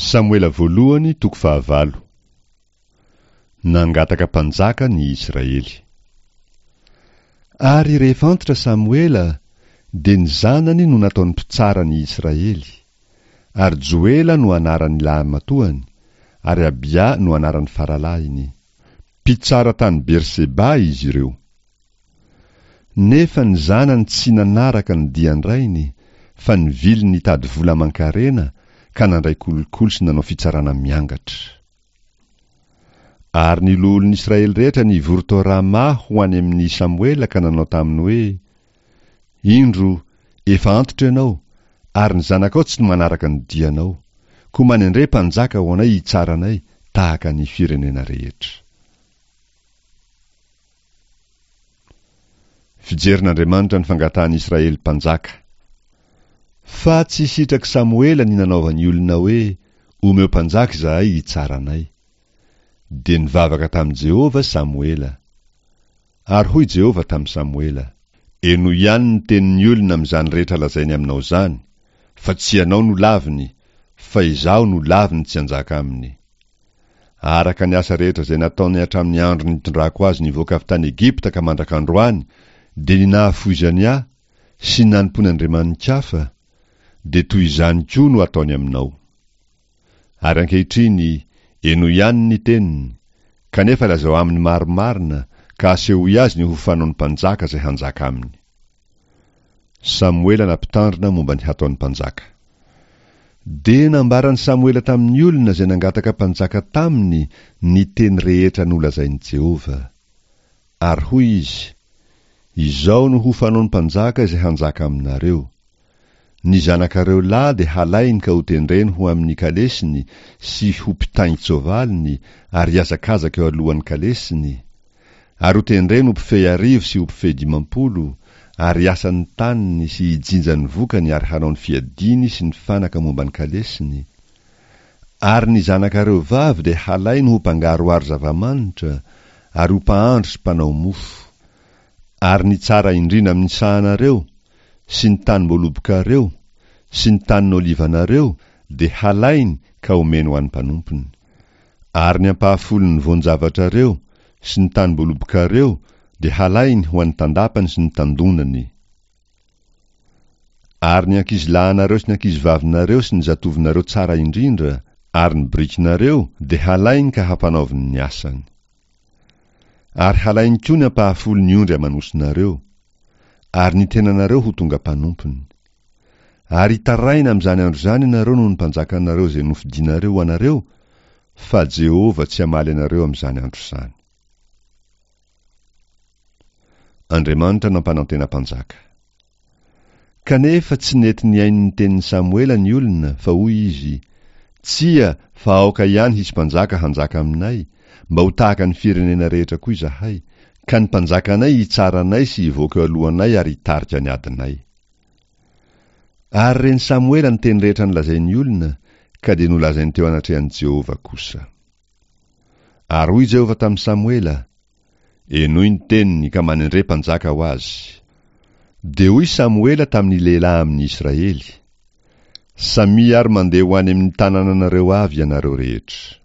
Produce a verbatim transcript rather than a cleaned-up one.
Samoela voalohany toko fahavalo. Nangataka mpanjaka ny Israely. Ary rehefa antitra Samoela, dia ny zanany no nataony mpitsara ny Israely. Ary Joela no anaran'ny lahimatoany, ary Abia no anaran'ny faralahiny. Mpitsara tany Berseba izy ireo. Nefa ny zanany tsy nanaraka ny dian-drainy, fa nivily nitady vola aman-karena ka nandray kolikoly sy nanao fitsarana miangatra. Ary ny loholon'ny Israely rehetra nivory tao Rama ho any amin'i Samoela ka nanao taminy hoe: Indro, efa antitra ianao, ary ny zanakao tsy manaraka ny dianao. Koa manendre mpanjaka ho anay hitsara anay tahaka ny firenena rehetra. Fijerin'Andriamanitra ny fangatahan'i Israely mpanjaka. Fa tsy sitrak'i Samoela ny nanaovan'ny olona hoe: Omeo mpanjaka izahay hitsara anay. Dia nivavaka tamin'i Jehovah Samoela. Ary hoy Jehovah tamin'i Samoela: Henoy ihany ny tenin'ny olona amin'izany rehetra lazainy aminao izany, fa tsy ianao no laviny, fa Izaho no laviny tsy hanjaka aminy. Araka ny asa rehetra izay nataony hatramin'ny andro nitondrako azy nivoaka avy tany Egypta ka mandrak'androany, dia ny nahafoizany ahy sy ny nanompoany andriamani-kafa, dia toy izany koa no ataony aminao. Ary ankehitriny, henoy ihany ny teniny, kanefa lazao aminy marimarina, ka asehoy azy ny ho fanaon'ny mpanjaka izay hanjaka aminy. Samoela nampitandrina momba ny hataon'ny mpanjaka. Dia nambaran'i Samoela tamin'ny olona izay nangataka mpanjaka taminy ny teny rehetra nolazain'i Jehovah. Ary hoy izy: Izao no ho fanaon'ny mpanjaka izay hanjaka aminareo. Ny zanakareo lahy dia halainy ka hotendreny ho amin'ny kalesiny sy ho mpitaingin-tsoavaliny ary hihazakazaka eo alohan'ny kalesiny, ary hotendreny ho mpifehy arivo sy ho mpifehy dimampolo, ary hiasa ny taniny sy hijinja ny vokany ary hanao ny fiadiany sy ny fanaka momba ny kalesiny. Ary ny zanakareo vavy dia halainy ho mpangaroharo zava-manitra, ary ho mpahandro sy mpanao mofo. Ary ny tsara indrindra amin'ny sahanareo, sy ny tanim-boalobokareo, sy ny tanin'olivanareo, dia halainy ka homeny ho an'ny mpanompony. Ary ny ampahafolon'ny voan-javatrareo, sy ny tanim-boalobokareo, dia halainy ho an'ny tandapany sy ny tandonany. Ary ny ankizilahinareo sy ny ankizivavinareo sy ny zatovonareo tsara indrindra, ary ny birikinareo, dia halainy ka hampanaoviny ny asany. Ary halainy koa ny ampahafolon'ny ondry aman'osinareo, ary ny tenanareo ho tonga mpanompony. Ary hitaraina amin'izany andro izany ianareo noho ny mpanjakanareo izay nofidinareo ho anareo, fa Jehovah tsy hamaly anareo amin'izany andro izany. Andriamanitra nampanantena mpanjaka. Kanefa tsy nety nihaino ny tenin'i Samoela ny olona, fa hoy izy: Tsia, fa aoka ihany hisy mpanjaka hanjaka aminay, mba ho tahaka ny firenena rehetra koa izahay, ka ny mpanjakanay hitsara anay sy hivoaka eo alohanay ary hitarika ny adinay. Ary ren'i Samoela ny teny rehetra nolazain'ny olona, ka dia nolazainy teo anatrehan'i Jehovah kosa. Ary hoy Jehovah tamin'i Samoela: Henoy ny teniny ka manendre mpanjaka ho azy. Dia hoy Samoela tamin'ny lehilahy amin'ny Israely: Samia ary mandeha ho any amin'ny tanànanareo avy ianareo rehetra.